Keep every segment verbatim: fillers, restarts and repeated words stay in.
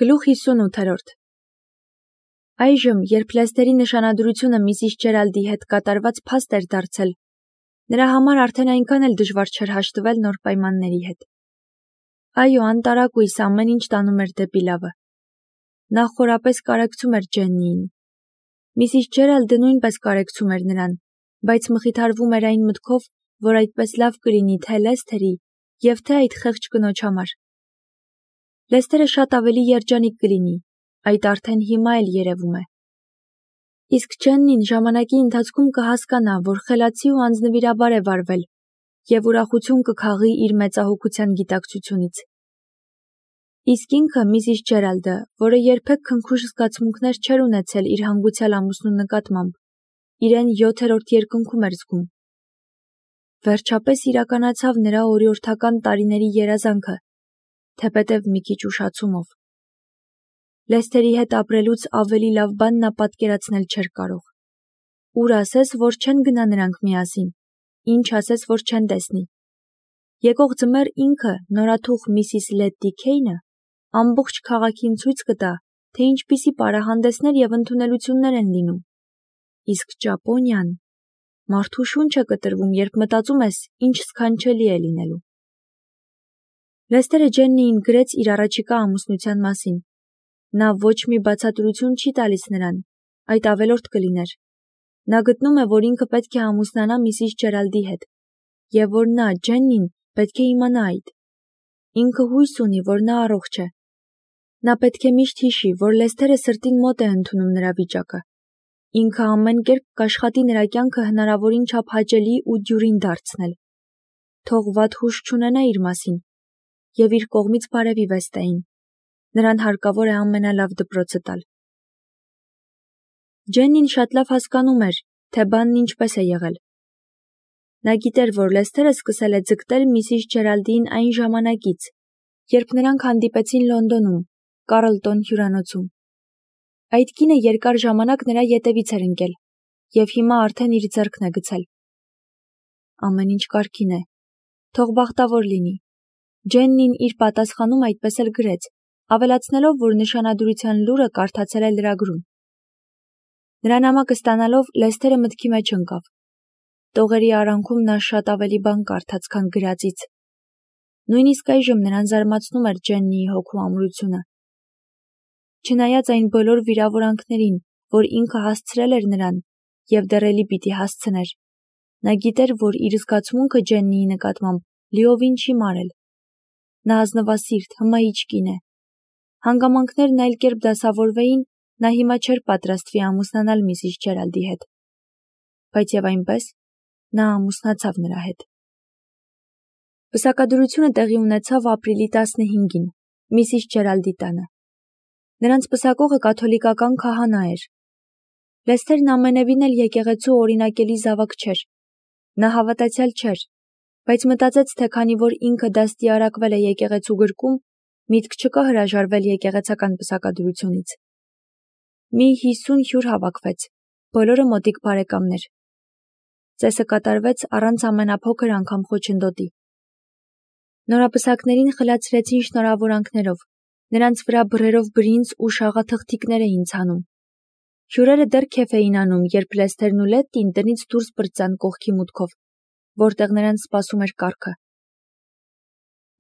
Գլուխ հիսունութերորդ Այժմ, երբ Լեսթերի նշանադրությունը միսիս Ջերալդի հետ կատարված փաստ էր դարձել, նրա համար արդեն այնքան էլ դժվար չէր հաշտվել նոր պայմանների հետ։ Այո, անտարակույս ամեն ինչ տանում էր դեպի լավը։ Նա խորապես կարեկցում էր Ջեննիին։ Միսիս Ջերալդը նույնպես կարեկցում էր նրան, բայց մխիթարվում էր այն մտքով, որ այդպես լավ կլինի թե Լեսթերի և թե այդ խեղճ կնոջ համար։ Լեսթերը շատ ավելի երջանիկ կլինի, այդ արդեն հիմա էլ երևում է։ Իսկ Ջեննին ժամանակի ընթացքում կհասկանա, որ խելացի ու անձնվիրաբար է վարվել և ուրախություն կքաղի իր մեծահոգության գիտակցությունից։ Իսկ ինքը միսիս Ջերալդը, որը երբեք քնքուշ զգացմունքներ չէր ունեցել իր հանգուցյալ ամուսնու նկատմամբ, իրեն յոթերորդ երկնքում էր զգում։ Վերջապես իրականացավ նրա օրիորդական տարիների երազանքը, թեպետև մի քիչ ուշացումով։ Լեսթերի հետ ապրելուց ավելի լավ բան նա պատկերացնել չէր կարող։ Ուր ասես, որ չեն գնա նրանք միասին, ինչ ասես, որ չեն տեսնի։ Եկող ձմեռ ինքը, նորաթուխ միսիս Լետտի Քեյնը, ամբողջ քաղաքին ցույց կտա, թե ինչպիսի պարահանդեսներ և ընդունելություններ են լինում։ Իսկ Ճապոնիան, մարդու շունչ է կտրվում, երբ մտածում ես, ինչ սքանչելի է լինելու։ Լեսթերը Ջեննիին գրեց իր առաջիկա ամուսնության մասին։ Նա ոչ մի բացատրություն չի տալիս նրան, այդ ավելորդ կլիներ։ Նա գտնում է, որ ինքը պետք է ամուսնանա միսիս Ջերալդի հետ, և որ նա, Ջեննին, պետք է իմանա այդ։ Ինքը հույս ունի, որ նա առողջ է։ Նա պետք է միշտ հիշի, որ Լեսթերը սրտին մոտ է ընդունում նրա վիճակը։ Ինքը ամեն կերպ կաշխատի նրա կյանքը հնարավորին չափ հաճելի ու դյուրին դարձնել։ Թող վատ հույս չունենա իր մասին և իր կողմից բարևի Վեստային։ Նրան հարկավոր է ամենալավ դպրոցը տալ։ Ջեննին շատ լավ հասկանում էր, թե բանն ինչպես է եղել։ Նա գիտեր, որ Լեսթերը սկսել է ձգտել միսիս Ջերալդին այն ժամանակից, երբ նրանք հանդիպեցին Լոնդոնում, Կարլտոն հյուրանոցում։ Այդ կինը երկար ժամանակ նրա ետևից էր ընկել, և հիմա արդեն իր ձեռքն է գցել։ Ամեն ինչ կարգին է, թող բախտավոր լինի։ Ջեննին իր պատասխանում այդպես էլ գրեց, ավելացնելով, որ նշանադրության լուրը կարդացել է լրագրում։ Նրա նամակը ստանալով Լեսթերը մտքի մեջ ընկավ։ Տողերի արանքում նա շատ ավելի բան կարդաց, քան գրածից։ Նույնիսկ այժմ նրան զարմացնում էր Ջեննիի հոգու ամրությունը։ Չնայած այն բոլոր վիրավորանքներին, որ ինքը հասցրել էր նրան և դեռ էլի պիտի հասցներ, նա գիտեր, որ իր զգացմունքը Ջեննիի նկատմամբ լիովին չի մարել։ Նա ազնվասիրտ, հմայիչ կին է։ Հանգամանքներն այլ կերպ դասավորվեին, նա հիմա չէր պատրաստվի ամուսնանալ միսիս Ջերալդի հետ։ Բայց և այնպես, նա ամուսնացավ նրա հետ։ Պսակադրությունը տեղի ունեցավ ապրիլի տասնհինգին, միսիս Ջերալդի տանը։ Նրանց պսակողը կաթոլիկական քահանա էր։ Լեսթերն ամենևին էլ եկեղեցու օրինակելի զավակ չէր։ Նա հավատացյալ չէր, բայց մտածեց, թե քանի որ ինքը դաստիարակվել է եկեղեցու գրկում, միտք չկա հրաժարվել եկեղեցական պսակադրությունից։ Մի հիսուն հյուր հավաքվեց, բոլորը մոտիկ բարեկամներ։ Ծեսը կատարվեց առանց ամենափոքր անգամ խոչընդոտի։ Նորապսակներին խլացրեցին շնորհավորանքներով, նրանց վրա բռերով բրինձ ու շաղաթղթիկներ էին ցանում։ Հյուրերը դեռ քեֆ էին անում, երբ Լեսթերն ու Լետտին տնից դուրս պրծան կողքի մուտքով, որտեղ նրանց սպասում էր կառքը։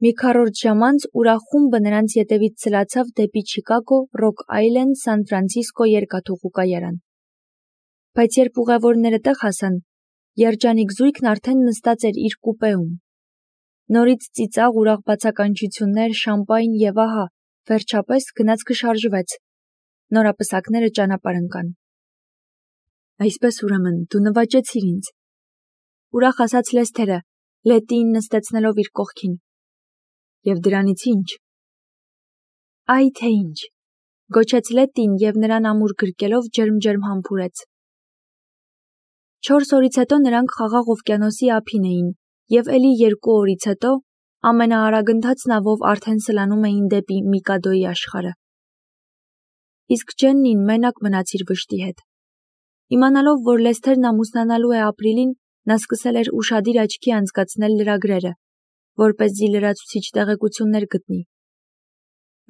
Մի քառորդ ժամ անց ուրախ խումբը նրանց ետևից ցլացավ դեպի Չիկագո, Ռոք Այլենդ, Սան Ֆրանցիսկո երկաթուղու կայարան։ Բայց երբ ուղևորները տեղ հասան, երջանիկ զույգն արդեն նստած էր իր կուպեում։ Նորից ծիծաղ, ուրախ բացականչություններ, շամպայն և ահա, վերջապես, գնացքը շարժվեց։ Նորապսակները ճանապարհ ընկան։ Այսպես ուրեմն, դու նվաճեցիր ինձ, ուրախ ասաց Լեսթերը, Լետտիին նստեցնելով իր կողքին։ Եվ դրանից ի՞նչ։ Այ թե ինչ, գոչեց Լետտին և նրան ամուր գրկելով ջերմ-ջերմ համբուրեց։ Չորս օրից հետո նրանք Խաղաղ օվկիանոսի ափին էին, և էլի երկու օրից հետո ամենաարագընթաց նավով արդեն սլանում էին դեպի Միկադոյի աշխարհը։ Իսկ Ջեննին մենակ մնաց իր վշտի հետ։ Իմանալով, որ Լեսթերն ամուսնանալու է ապրիլին, նա սկսել էր ուշադիր աչքի անցկացնել լրագրերը, որպեսզի լրացուցիչ տեղեկություններ գտնի։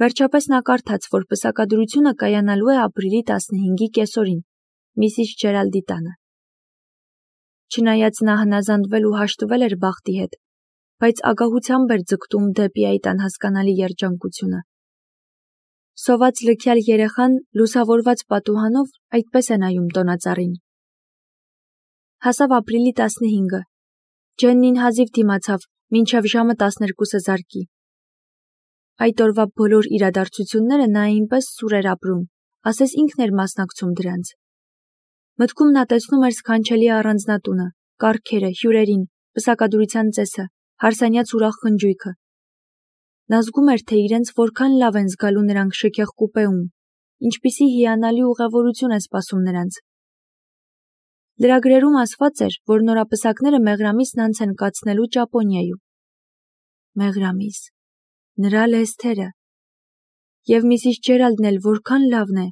Վերջապես նա կարդաց, որ պսակադրությունը կայանալու է ապրիլի տասնհինգի կեսօրին, միսիս Ջերալդի տանը։ Չնայած նա հնազանդվել ու հաշտվել էր բախտի հետ, բայց ագահությամբ էր ձգտում դեպի այդ անհասկանալի երջանկությունը։ Սոված լքյալ երեխան լուսավորված պատուհանով այդպես է նայում տոնածառին։ Հասավ ապրիլի տասնհինգը։ Ջեննին հազիվ դիմացավ, մինչև ժամը տասներկուսը զարկի։ Այդ օրվա բոլոր իրադարձությունները նա այնպես սուր էր ապրում, ասես ինքն էր մասնակցում դրանց։ Մտքում նա տեսնում էր սքանչելի առանձնատունը, կառքերը, հյուրերին, պսակադրության ծեսը, հարսանյաց ուրախ խնջույքը։ Նա զգում էր, թե իրենց որքան լավ են զգալու նրանք շքեղ կուպեում, ինչպիսի հիանալի ուղևորություն է սպասում նրանց։ Լրագրերում ասված էր, որ նորապսակները մեղրամիսն անց են կացնելու Ճապոնիայում։ Մեղրամիս, նրա Լեսթերը, և միսիս Ջերալդն էլ որքան լավն է,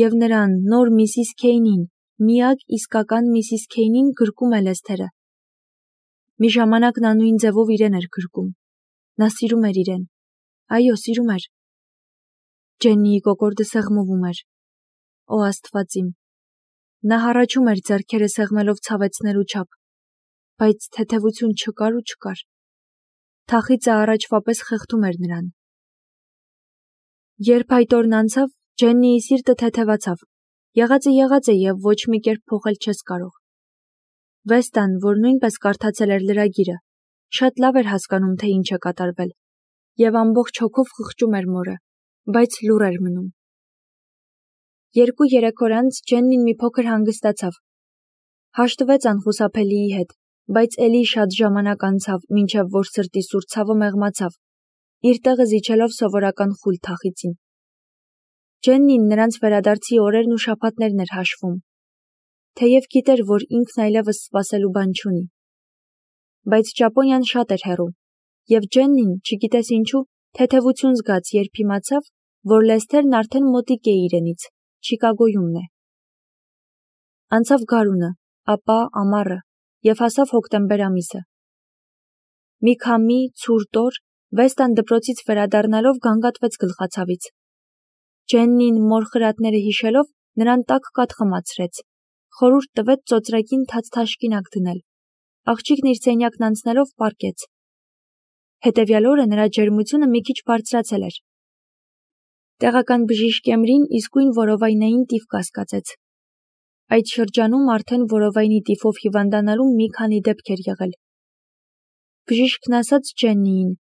և նրան, նոր միսիս Քեյնին, միակ իսկական միսիս Քեյնին գրկում է Լեսթերը։ Մի ժամանակ նա նույն ձևով իրեն էր գրկում։ Նա սիրում էր իրեն։ Այո, սիրում էր։ Ջեննիի կոկորդը սեղմվում էր։ Օ Աստված իմ։ Նա հառաչում էր ձեռքերը սեղմելով ցավեցնելու չափ, բայց թեթևություն չկար ու չկար։ Թախիծը առաջվա պես խեղդում էր նրան։ Երբ այդ օրն անցավ, Ջեննիի սիրտը թեթևացավ։ Եղածը եղած է և ոչ մի կերպ փոխել չես կարող։ Վեստան, որ նույնպես կարդացել էր լրագիրը, շատ լավ էր հասկանում, թե ինչ է կատարվել, և ամբողջ հոգով խղճում էր մորը, բայց լուռ էր մնում։ Երկու-երեք օր անց Ջեննին մի փոքր հանգստացավ։ Հաշտվեց անխուսափելիի հետ, բայց էլի շատ ժամանակ անցավ, մինչև որ սրտի սուր ցավը մեղմացավ, իր տեղը զիջելով սովորական խուլ թախիծին։ Ջեննին նրանց վերադարձի օրերն ու շաբաթներն էր հաշվում, թեև գիտեր, որ ինքն այլևս սպասելու բան չունի։ Բայց Ճապոնիան շատ էր հեռու, և Ջեննին, չգիտես ինչու, թեթևություն զգաց, երբ իմացավ, որ Լեսթերն արդեն մոտիկ է իրենից, Չիկագոյումն է։ Անցավ գարունը, ապա ամառը, և հասավ հոկտեմբեր ամիսը։ Մի քամի, ցուրտ օր, Վեստան դպրոցից վերադառնալով գանգատվեց գլխացավից։ Ջեննին մոր խրատները հիշելով նրան տաք կաթ խմացրեց, խորհուրդ տվեց ծոծրակին թաց թաշկինակ դնել, աղջիկն իր սենյակն անցնելով պառկեց։ Հետևյալ օրը նրա ջերմությունը մի քիչ բարձրացել էր։ Տեղական բժիշկ Էմրին իսկույն որովայնային տիֆ կասկածեց։ Այդ շրջանում արդեն որովայնի տիֆով հիվանդանալու մի քանի դեպք էր եղել։ Բժիշկն ասաց Ջեննիին,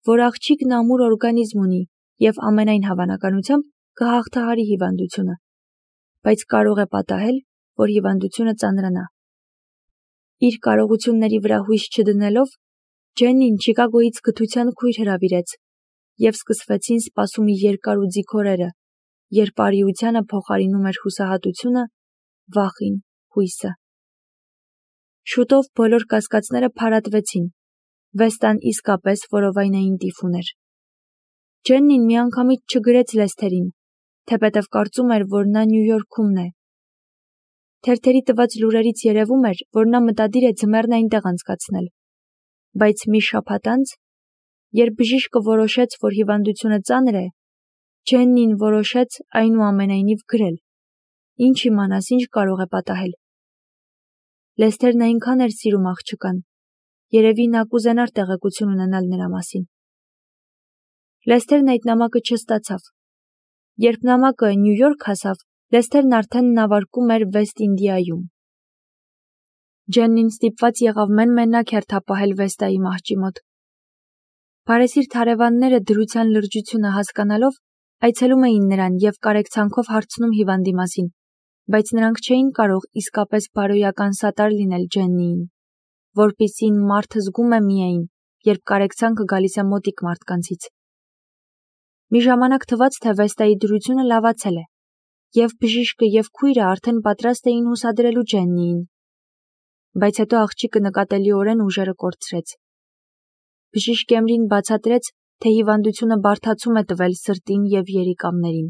որ աղջիկն ամուր օրգանիզմ ունի և ամենայն հավանականությամբ կհաղթահարի հիվանդությունը, բայց կարող է պատահել, որ հիվանդությունը ծանրանա։ Իր կարողությունների վրա հույս չդնելով, Ջեննին Չիկագոյից գթության քույր հրավիրեց, և սկսվեցին սպասումի երկար ու ձիգ օրերը, երբ արիությանը փոխարինում էր հուսահատությունը, վախին, հույսը։ Շուտով բոլոր կասկածները փարատվեցին։ Վեստան իսկապես որովայնային տիֆ ուներ։ Ջեննին միանգամից չգրեց Լեսթերին, թեպետև կարծում էր, որ նա Նյու Յորքում է։ Թերթերի տված լուրերից երևում էր, որ նա մտադիր է ձմեռն այնտեղ անցկացնել։ Բայց մի շաբաթ անց, երբ բժիշկը որոշեց, որ հիվանդությունը ծանր է, Ջեննին որոշեց այնուամենայնիվ գրել։ Ինչ իմանաս, ինչ կարող է պատահել։ Լեսթերն այնքան էր սիրում աղջկան, երևի նա կուզենար տեղեկություն ունենալ նրա մասին։ Լեսթերն այդ նամակը չստացավ։ Երբ նամակը Նյու Յորք հասավ, Լեսթերն արդեն նավարկում էր Վեստ Ինդիայում։ Ջեննին ստիպված եղավ մեն-մենակ հերթապահել Վեստայի մահճի մոտ։ Բարեսիրտ հարևանները դրության լրջությունը հասկանալով այցելում էին նրան և կարեկցանքով հարցնում հիվանդի մասին, բայց նրանք չէին կարող իսկապես բարոյական սատար լինել Ջեննիին, որպիսին մարդը զգում է միայն, երբ կարեկցանքը գալիս է մոտիկ մարդկանցից։ Մի ժամանակ թվաց, թե Վեստայի դրությունը լավացել է, և բժիշկը և քույրը արդեն պատրաստ էին հուսադրելու Ջեննիին։ Բայց հետո աղջիկը նկատելիորեն ուժերը կորցրեց։ Բժիշկ Էմրին բացատրեց, թե հիվանդությունը բարդացում է տվել սրտին և երիկամներին։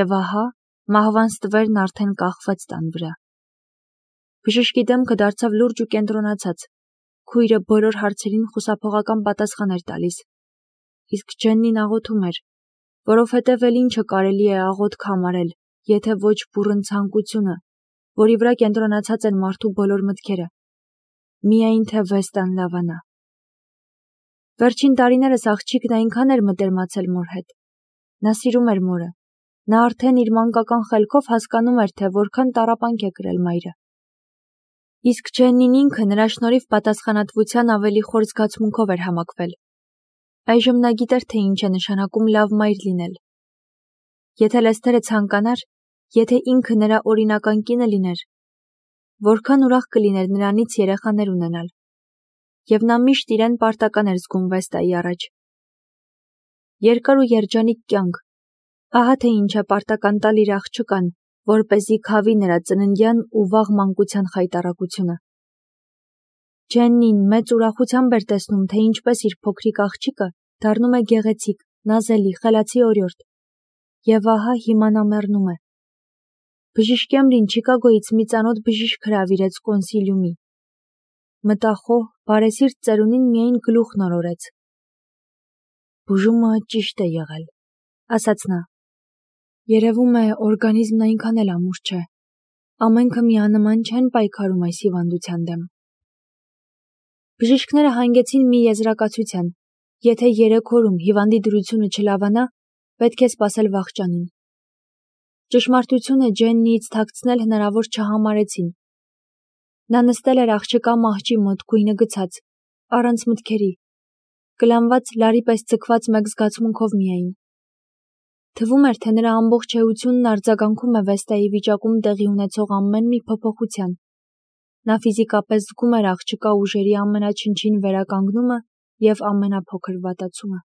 Եվ ահա, մահվան ստվերն արդեն կախվեց տան վրա։ Բժշկի դեմքը դարձավ լուրջ ու կենտրոնացած։ Քույրը բոլոր հարցերին խուսափողական պատասխան էր տալիս։ իսկ Ջեննին աղոթում էր, որովհետև էլ ինչը կարելի է աղոթք համարել, եթե ոչ բուռն ցանկությունը, որի վրա կենտրոնացած են մարդու բոլոր մտքերը, միայն թե Վեստան լավանա։ Վերջին տարիներս աղջիկն այնքան էր մտերմացել մոր հետ։ Նա սիրում էր մորը։ Նա արդեն իր մանկական խելքով հասկանում էր, թե որքան տառապանք է կրել մայրը։ Իսկ Ջեննին ինքը նրա շնորհիվ պատասխանատվության ավելի խոր զգացմունքով էր համակվել։ Այժմ նա գիտեր, թե ինչ է նշանակում լավ մայր լինել։ Եթե Լեսթերը ցանկանար, եթե ինքը նրա օրինական կինը լիներ, որքան ուրախ կլիներ նրանից երեխաներ ունենալ։ Եվ նա միշտ իրեն պարտական էր զգում Վեստայի առաջ։ Երկար ու երջանիկ կյանք, ահա թե ինչ է պարտական տալ իր աղջկան, որպեսզի քավի նրա ծննդյան ու վաղ մանկության խայտառակությունը։ Ջեննին մեծ ուրախությամբ էր տեսնում, թե ինչպես իր փոքրիկ աղջիկը դառնում է գեղեցիկ, նազելի, խելացի օրիորդ։ Եվ ահա հիմա նա մեռնում է։ Բժիշկ Էմլին Չիկագոյից մի ծանոթ բժիշկ հրավիրեց կոնսիլիումի։ Մտախոհ, բարեսիրտ ծերունին միայն գլուխ նորորեց։ Բուժումը ճիշտ է եղել, ասաց նա։ Երևում է, օրգանիզմն այնքան էլ ամուր չէ։ Ամենքը միանման չեն պայքարում այս հիվանդության դեմ։ Բժիշկները հանգեցին մի եզրակացության. եթե երեք օրում հիվանդի դրությունը չլավանա, պետք է սպասել վախճանին։ Ճշմարտությունը Ջեննիից թաքցնել հնարավոր չհամարեցին։ Նա նստել էր աղջկա մահճի մոտ գույնը գցած, առանց մտքերի, կլանված լարի պես ձգված մեկ զգացմունքով միայն։ Թվում էր, թե նրա ամբողջ էությունն արձագանքում է Վեստայի վիճակում տեղի ունեցող ամեն մի փոփոխության։ Նա ֆիզիկապես զգում էր աղջկա ուժերի ամենաչնչին վերականգնումը և ամենափոքր վատացումը։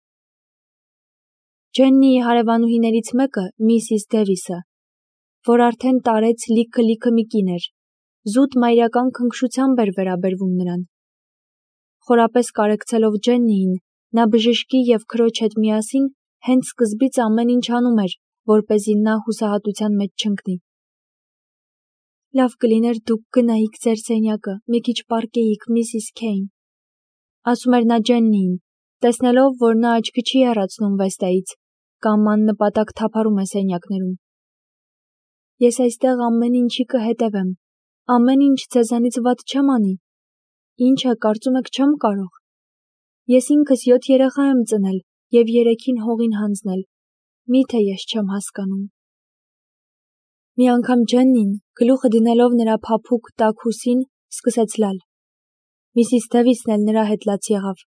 Ջեննիի հարևանուհիներից մեկը, Միսիս Դևիսը, որ արդեն տարեց լիքը-լիքը մի կին էր, զուտ մայրական քնքշությամբ էր վերաբերվում նրան։ Խորապես կարեկցելով Ջեննիին, նա բժշկի և քրոջ հետ միասին հենց սկզբից ամեն ինչ անում էր, որպեսզի նա հուսահատության մեջ չընկնի։ Լավ կլիներ դուք գնայիք ձեր սենյակը, մի քիչ պառկեիք, Միսիս Քեյն, ասում էր նա Ջեննիին, տեսնելով, որ նա աչքի չի հեռացնում Վեստայից, կամ աննպատակ թափառում է սենյակներում։ Ես այստեղ ամեն ինչի կհետևեմ, ամեն ինչ ձեզանից վատ չեմ անի։ Ինչ է, կարծում եք չեմ կարող։ Ես ինքս յոթ երեխա եմ ծնել և երեքին հողին հանձնել։ Միթե ես չեմ հասկանում։ Մի անգամ Ջեննին, գլուխը դնելով նրա փափուկ տաք ուսին, սկսեց լալ։ Միսիս Դևիսն էլ նրա հետ լաց եղավ։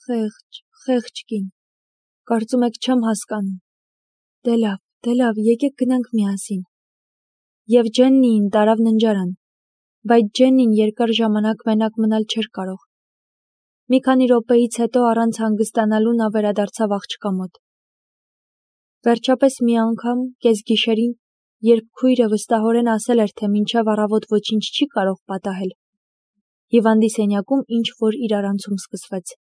Խեղճ, խեղճ կին, կարծում եք չեմ հասկանում։ Դե լավ, դե լավ, եկեք գնանք միասին։ Եվ Ջեննիին տարավ ննջարան, բայց Ջեննին երկար ժամանակ մենակ մնալ չէր կարող։ Մի քանի րոպեից հետո առանց հանգստանալու նա վերադարձավ աղջկա մոտ։ Վերջապես մի անգամ, կեսգիշերին, երբ քույրը վստահորեն ասել էր, թե մինչև առավոտ ոչինչ չի կարող պատահել, հիվանդի սենյակում ինչ-որ իրարանցում սկսվեց։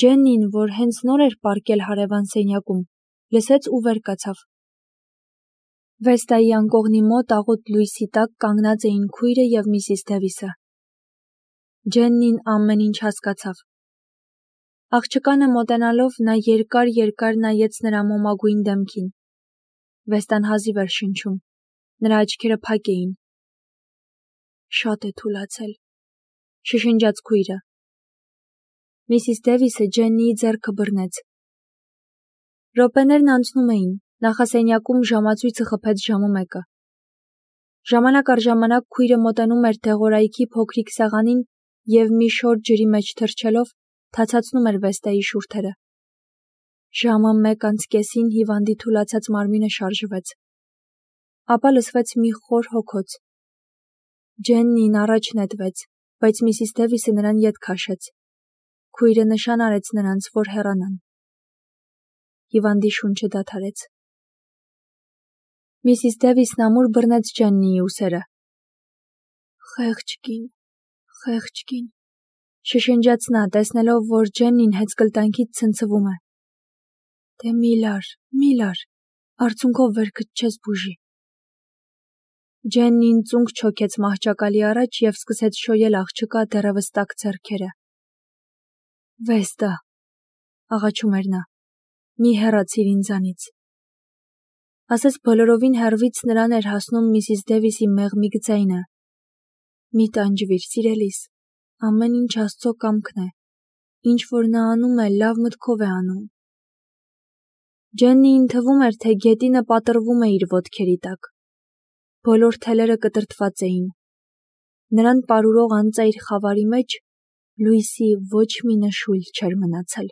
Ջեննին, որ հենց նոր էր պառկել հարևան սենյակում, լսեց ու վեր կացավ։ Վեստայի անկողնի մոտ աղոտ լույսի տակ կանգնած էին քույրը և Միսիս Դևիսը։ Ջեննին ամեն ինչ հասկացավ։ Աղջկանը մոտենալով նա երկար-երկար նայեց նրա մոմագույն դեմքին։ Վեստան հազիվ էր շնչում, նրա աչքերը փակ էին։ Շատ է թուլացել, շշնջաց քույրը։ Միսիս Դևիսը Ջեննիի ձեռքը բռնեց։ Րոպեներն անցնում էին, նախասենյակում ժամացույցը խփեց ժամը մեկը։ Ժամանակ առ ժամանակ քույրը մոտենում էր դեղորայքի փոքրիկ սեղանին և մի շոր ջրի մեջ թռչելով թացացնում էր Վեստայի շուրթերը։ Ժամը մեկ անց կեսին հիվանդի թուլացած մարմինը շարժվեց։ Ապա լսվեց մի խոր հոգոց։ Ջեննին առաջ նետվեց, բայց Միսիս Դևիսը նրան ետ քաշեց։ Քույրը նշան արեց նրանց, որ հեռանան։ Հիվանդի շունչը դադարեց։ Միսիս Դևիսն ամուր բռնեց Ջեննիի ուսերը։ Խեղճ կին, խեղճ կին, շշնջաց նա, տեսնելով, որ Ջեննին հեծկլտանքից ցնցվում է։ Դե մի լար, մի լար, արցունքով վերքդ չես բուժի։ Ջեննին ծունկ չոքեց մահճակալի առաջ և սկսեց շոյել աղջկա դեռևս տաք ձեռքերը։ Վեստա, աղաչում էր նա, մի հեռացիր ինձանից։ Ասես բոլորովին հեռվից նրան էր հասնում միսիս Դևիսի մեղմիկ ձայնը. «Մի տանջվիր, սիրելիս, ամեն ինչ Աստծո կամքն է, ինչ որ նա անում է, լավ մտքով է անում»։ Ջեննիին թվում էր, թե գետինը պատռվում է իր ոտքերի տակ։ Բոլոր թելերը կտրտված էին։ Նրան պարուրող անծայր խավարի մեջ լույսի ոչ մի նշույլ չէր մնացել։